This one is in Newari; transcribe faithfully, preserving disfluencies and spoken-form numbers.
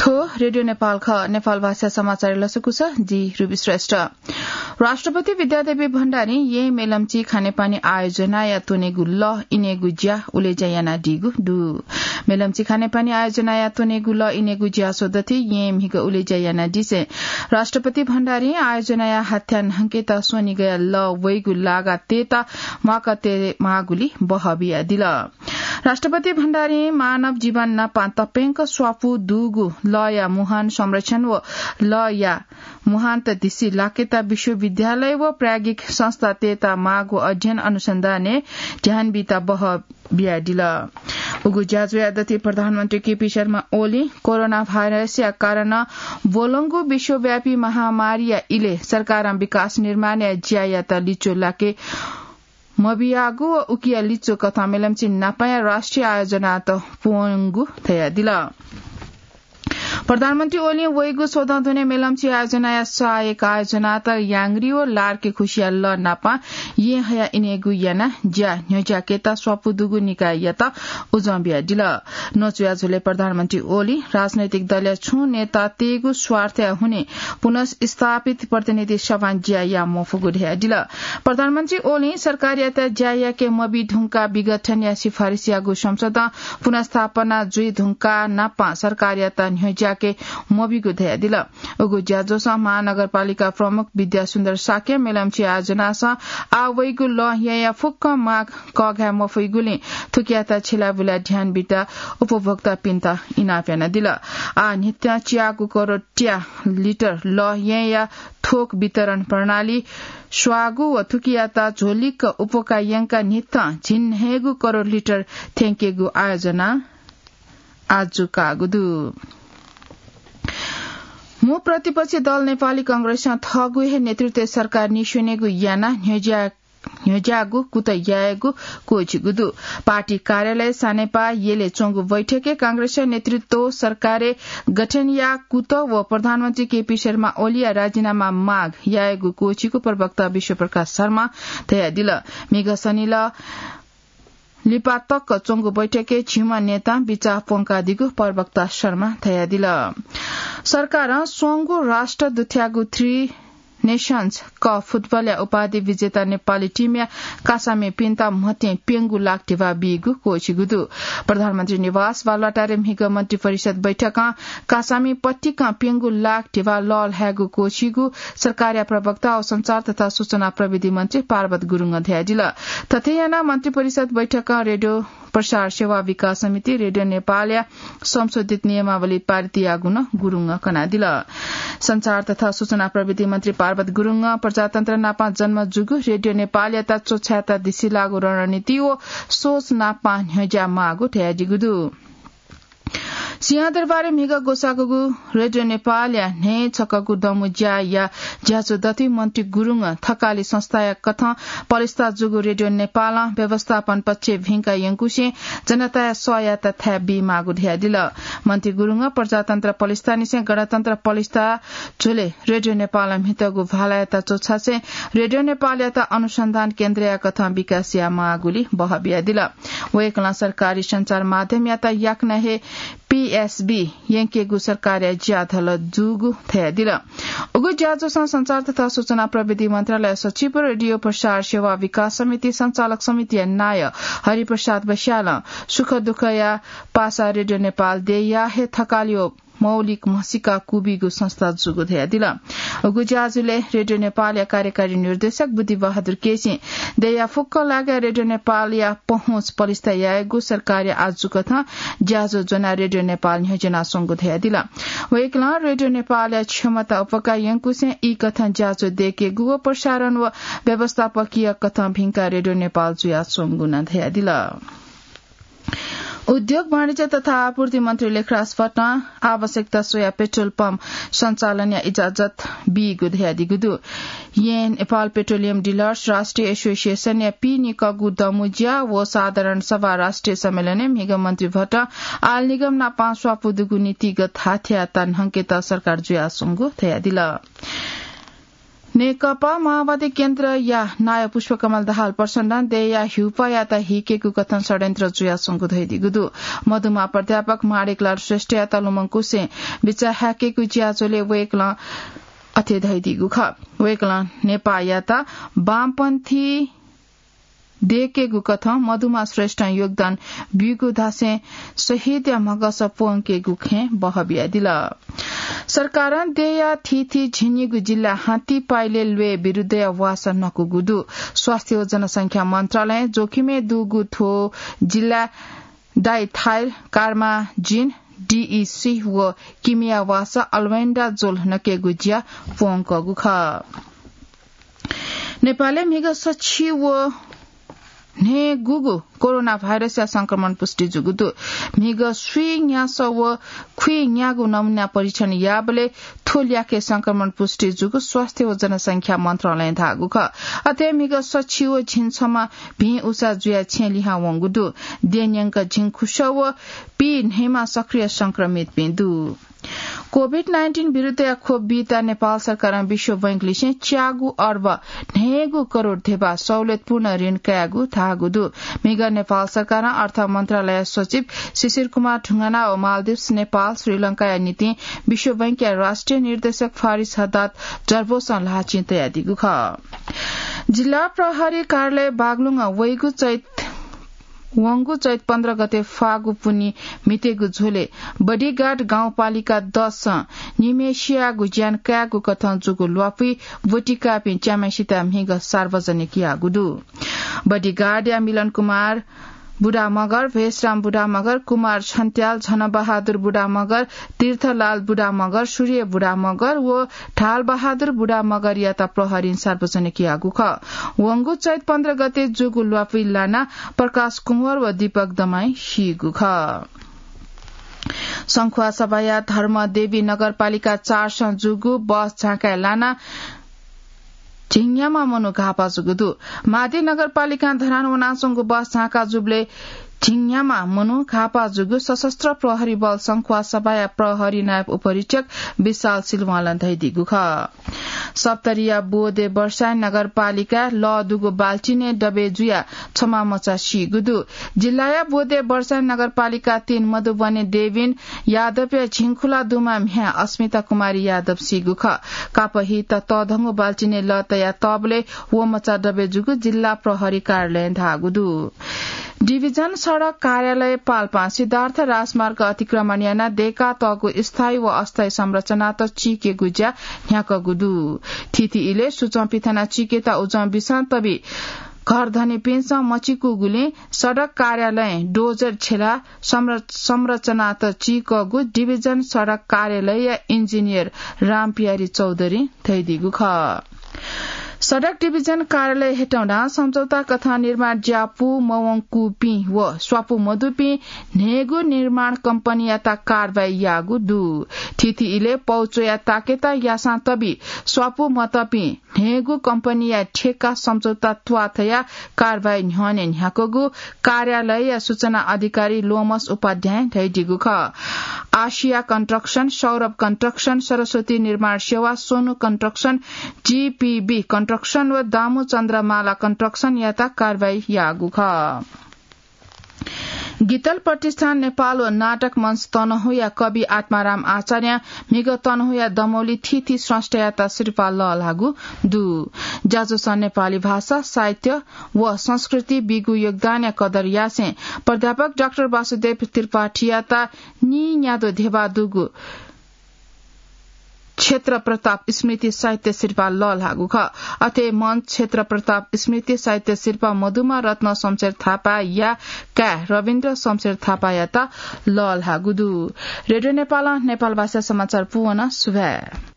थ्व रेडियो नेपाल खः। नेपाल भाषा समाचार लसकुस, जि रुबी श्रेष्ठ। राष्ट्रपति विद्यादेवी भण्डारी यें मेलम्ची खानेपानी आयोजनाया त्वनेगु लः इनेगु ज्या उलेज्या यानादीगु दु। मेलम्ची खानेपानी आयोजनाया त्वनेगु लः इनेगु ज्या स्वदथि यें म्हिगः उलेज्या यानादिसें राष्ट्रपति भण्डारी आयोजनाया हाथ्या न्हंकेत स्वनिगया लः वइगु लागा तेता म्वाकते मागुली बहः बियादिल। राष्ट्रपति भण्डारीं मानव जीवन नापं तप्यंक स्वापू दुगु लःया मुहान संरक्षण व लःया मुहानत दिसि लाकेता विश्वविद्यालय व प्राज्ञिक संस्थातय्त माःगु अध्ययन अनुसन्धानय् ध्यान बीत बहः बियादिल। उगु ज्याझ्वःया दथि प्रधानमन्त्री केपी शर्मा ओलीं कोरोना भाइरसया कारणं ब्वलंगु विश्वव्यापी महामारीया इलय् सरकारं विकास निर्माणया ज्यायात लिच्वः लाके मबियागु व उकिया लिच्वः कथं मेलम्ची नापाया राष्ट्रिय आयोजनात प्वंगु धयादिल। प्रधानमन्त्री ओलीं वइगु स्वदँ दुने मेलम्ची आयोजनाया सहायक आयोजनात याङ्ग्री व लार्के खुसिया लः नापं यें हया इनेगु याना ज्या न्ह्यज्याकेत स्वापू दुगु निकाययात उजं बियादिल। न्वचुया झ्वलय् प्रधानमन्त्री ओलीं राजनैतिक दलया छुं नेतातय्गु स्वार्थया हुनिं पुनर्स्थापित प्रतिनिधि सभां ज्या याये मफुगु धयादिल। प्रधानमन्त्री ओलीं सरकारयात ज्या याके मबी धुंकाः विघटनया सिफारिस याःगु संसदं पुनर्स्थापना जुइ धुंकाः नापं सरकारयात न्ह्यज्याके मबीगु धयादिल। उगु ज्याझ्वलय् महानगरपालिका प्रमुख विद्यासुन्दर शाक्यं मेलम्ची आयोजनासं आः वइगु लः येँया फुक्क माग कःघाये मफइगुलिं थुकियात छिलाबुला ध्यान बीत उपभोक्तापिन्त इनाप यानादिल। आः न्हित्यां च्यागू करोड त्या लिटर लः येँया थोक वितरण प्रणाली स्वाःगु व थुकियात झ्वलिक्क उपकार यंका न्हित्तं झिंन्हय्गू करोड लिटर थ्यंकेगु आयोजना आजु काःगु दु। मू प्रतिपक्षी दल नेपाली कांग्रेसं थःगु हे नेतृत्वय् सरकार निस्वनेगु यानाः न्ह्यज्या-, न्ह्यज्याःगु कुतः यायेगु क्वःछिगु दु। पार्टी कार्यालय सानेपा यलय् च्वंगु बैठकय् कांग्रेसया नेतृत्वय् सरकारय् गठनया कुतः व प्रधानमन्त्री केपी शर्मा ओलीया राजीनामा माग यायेगु क्वःछिगु प्रवक्ता विश्वप्रकाश शर्मां धयादिल। म्हिगः शनिलः लिपा तक च्वंगु बैठकय् झिम्ह नेतां बिचाः प्वंकादीगु प्रवक्ता शर्मां धयादिल। सरकारं स्वंगू राष्ट्र दुथ्याःगु थ्री नेसन्स कप फुटबलया उपाधि विजेता नेपाली टिमया कासामिपिन्त म्हतें प्यंगू लाख धिबा बीगु क्वःछिगु दु। प्रधानमन्त्री निवास बालुवाटारय् म्हिगः मन्त्री परिषद बैठकं कासामि पतिकं प्यंगू लाख धिबा लःल्हायेगु क्वःछिगु सरकारया प्रवक्ता व सञ्चार तथा सूचना प्रविधि मन्त्री पार्वत गुरुङं धयादिल। थथे यानाः मन्त्री परिषद बैठकं रेडियो प्रसार सेवा विकास समिति, रेडियो नेपालया संशोधित नियमावली पारित याःगु नं गुरुङं कनादिल। सञ्चार तथा सूचना प्रविधि मन्त्री पार्वत गुरुङं प्रजातन्त्र नापं जन्म जूगु रेडियो नेपालयात च्वछायेत दिसिलाःगु रणनीति व सोच नापं न्ह्यज्या माःगु धयादीगु दु। सिंहदरबारय् म्हिगः ग्वसाःगु रेडियो नेपालया न्हय् छकःगु दँमु ज्याया ज्याझ्वः दथुइ मन्त्री गुरुङं थकालि संस्थाया कथं पलिस्था जूगु रेडियो नेपालं व्यवस्थापन पक्ष भिंका यंकुसें जनताया सःयात थाय् बीमाःगु धयादिल। मन्त्री गुरुङं प्रजातन्त्र पलिस्थानिसें गणतन्त्र पलिस्था झ्वलय् रेडियो नेपालं म्हितःगु भालायात च्वछासें रेडियो नेपालयात अनुसन्धान केन्द्रया कथं विकास यायेमाःगुली बहः बियादिल। वय्कलं सरकारी सञ्चार माध्यमयात याकनं हे पीएसबी यंकेगु सरकारया ज्याझ्वः जूगु धयादिल। उगु ज्याझ्वलय् सञ्चार तथा सूचना प्रविधि मन्त्रालय सचिव, रेडियो प्रसार सेवा विकास समिति सञ्चालक समितिया नायः हरिप्रसाद बस्यालं सुख दुःखया पासा रेडियो नेपाल देय्‌या हे थकालि व मौलिक म्हसीका क्वबीगु संस्था जूगु धयादिल। उगु ज्याझ्वलय् रेडियो नेपालया कार्यकारी निर्देशक बुद्धिबहादुर केसीं देय्‌या फुक्क लागाय् रेडियो नेपालया पहुँच पलिस्था यायेगु सरकारया आज्जु कथं ज्याझ्वः ज्वनाः रेडियो नेपाल न्ह्यज्यानाच्वंगु धयादिल। वय्कलं रेडियो नेपालया क्षमता उपकार यंकुसें ई कथं ज्याझ्वः दयेकेगु व प्रसारण व व्यवस्थापकीय कथं भिंकाः रेडियो नेपाल जुयाच्वंगु नं धयादिल। उद्योग, वाणिज्य तथा आपूर्ति मन्त्री लेखराज भट्टं आवश्यकता स्वयाः पेट्रोल पम्प सञ्चालनया इजाजत बीगु धयादीगु दु। यें नेपाल पेट्रोलियम डिलर्स राष्ट्रिय एसोसिएसनया पीनिकःगु दँमु ज्या व साधारण सभा राष्ट्रिय सम्मेलनय् म्हिगः मन्त्री भट्टं आयल निगम नापं स्वापू दुगु नीतिगत हाथ्याःता न्हंकेत सरकार जुयाच्वंगु धयादिल। नेकपा माओवादी केन्द्रया नायः पुष्पकमल दाहाल प्रचण्डं देय्‌या हिउपाःयात हिकेगु कथं षड्यन्त्र जुयाच्वंगु धयादीगु दु। मधुमा प्राध्यापक माणिकलाल श्रेष्ठयात लुमंकुसें बिचाः हाकेगु ज्याझ्वलय् वय्‌कलं अथे धयादीगु खः। वय्‌कलं नेपाःयात वामपन्थी दय्‌केगु कथं मधुमा श्रेष्ठं योगदान ब्यूगु धासें शहीदया म्हगस प्वंकेगु खँय् बहः बियादिल। सरकारं देय्‌या थीथी झिंनिगू जिल्लाय् हात्ती पाइले ल्वय् विरुद्धया वासः नकूगु दु। स्वास्थ्य व जनसंख्या मन्त्रालयं जोखिमय् दुगु थ्व जिल्लाय् डाइथाइल कार्माजिन, डीईसी व किमिया वासः अल्बेन्डाजोल नकेगु ज्या प्वंकूगु खः। नेपालय् म्हिगः सछि व न्हय्‌गूगु कोरोना भाइरसया संक्रमण पुष्टि जूगु दु। म्हिगः स्वीन्यासः व खुइन्यागू नमुना परीक्षण याःबलय् थ्व ल्याखय् संक्रमण पुष्टि जूगु स्वास्थ्य व जनसंख्या मन्त्रालयं धाःगु खः। अथे म्हिगः सछि व झिंछम्ह भिं उसा जुयाः छेँ लिहां वंगु दु। द्यःन्यंक झिंखुसः व पीन्हय्‌म्ह सक्रिय संक्रमितपिं दु। कोभिड नाइन्टिन विरुद्धया खोप बीत नेपाल सरकारं विश्व बैंक लिसें च्यागू अर्ब न्हय्‌गू करोड धेबा सहुलियतपूर्ण ऋण कायेगु धाःगु दु। म्हिगः नेपाल सरकारं अर्थ मन्त्रालय सचिव शिशिर कुमार ढुङ्गाना व मालदिप्स, नेपाल, श्रीलंकाया निंतिं विश्व बैंकया राष्ट्रिय निर्देशक फारिस हद्दाद जर्बोसं ल्हाःचिं तयादीगु खः। जिल्ला प्रहरी कार्यालय बागलुङं वइगु चैत वंगु चैत पन्ध्र गते फागु पुन्हि म्हितेगु झ्वलय् बडिगार्ड गाउँपालिका दसं निम्हेसियागु ज्यान कायेगु कथं जूगु ल्वापुइ ब्वतिकाःपिं च्याम्हेसित म्हिगः सार्वजनिक याःगु दु। बडिगार्डया मिलन कुमार बुढामगर, भेषराम बुढामगर, कुमार छन्त्याल, झनबहादुर बुढामगर, तीर्थलाल बुढामगर, सूर्य बुढामगर व ढालबहादुर बुढामगरयात प्रहरीं सार्वजनिक याःगु खः। वंगु चैत पन्ध्र गते जूगु ल्वापुइ लानाः प्रकाश कुँवर व दीपक दमाई सीगु खः। संखुवासभाया धर्मदेवी नगरपालिका चारसं जूगु बस झाँकाय् लानाः झिंन्याम्ह मनू घाःपा जूगु दु। मादी नगरपालिकां धरान वनाच्वंगु बस झाँका जूबलय् झिंन्याम्ह मनू घाःपा जूगु सशस्त्र प्रहरी बल संखुवासभाया प्रहरी नायब उपरीक्षक विशाल सिलवालं धयादीगु खः। सप्तरीया बोदे वर्षायन नगरपालिकाय् लः दुगु बाल्चिनय् दबे जुयाः छम्ह मचा सीगु दु। जिल्लाया बोदे वर्षायन नगरपालिका तीन मधुबने देविन यादवया झिंखुला दुम्ह म्ह्याय् अस्मिता कुमारी यादव सीगु खः। कापःहित तःधंगु बाल्चिनय् लः तया तःबलय् व मचा दबे जूगु जिल्ला प्रहरी कार्यालयं धाःगु दु। डिभिजन सडक कार्यालय पाल्पां सिद्धार्थ राजमार्ग अतिक्रमण यानाः दय्कातःगु स्थायी व अस्थायी संरचनात चीकेगु ज्या न्ह्याकूगु दु। थीथी इलय् सुचं पिथना चीकेत उजं बिसां तबि घर धनीपिन्सं मचीकूगुलिं सडक कार्यालयं डोजर छ्यलाः संर-, संरचनात चीकूगु डिभिजन सडक कार्यालयया इन्जिनियर रामपियारी चौधरीं धयादीगु खः। सडक डिभिजन कार्यालय हेटौडां सम्झौता कथं निर्माण ज्या पू मवंकूपिं व स्वापू मदुपिं न्हय्गू निर्माण कम्पनीयात कारवाही याःगु दु। थीथी इलय् पौ च्वयाः ताकेत यासां तबि स्वापू मतःपिं न्हय्गू कम्पनीया ठेक्का सम्झौता त्वाथया कारवाही न्ह्यःने न्ह्याकूगु कार्यालयया सूचना अधिकारी लोमस उपाध्यायं धयादीगु खः। आशिया कन्स्ट्रक्सन, सौरभ कन्स्ट्रक्सन, सरस्वती निर्माण सेवा, सोनु कन्स्ट्रक्सन, जीपीबी कन्स्ट्रक्सन व दामु चन्द्रमाला कन्स्ट्रक्सनयात कारवाही याःगु खः। गीतल प्रतिष्ठान नेपाल व नाटक मञ्च तनहुँया कवि आत्माराम आचार्यं म्हिगः तनहुँया दमौली थीथी स्रष्टायात सिरपाः लःल्हाःगु दु। ज्याझ्वलं नेपाली भाषा, साहित्य व संस्कृति बीगु योगदानया कदर यासें प्राध्यापक डाक्टर वासुदेव त्रिपाठीयात नीन्यादँ धेबा दुगु क्षेत्र प्रताप स्मृति साहित्य सिरपाः लःल्हाःगु खः। अथे मञ्च क्षेत्र प्रताप स्मृति साहित्य सिरपाः मधुमा रत्न शमशेर थापाया काय् रविन्द्र शमशेर थापायात लःल्हाःगु दु। रेडियो नेपालं नेपाल भाषा समाचार पूवन। सुभाय्।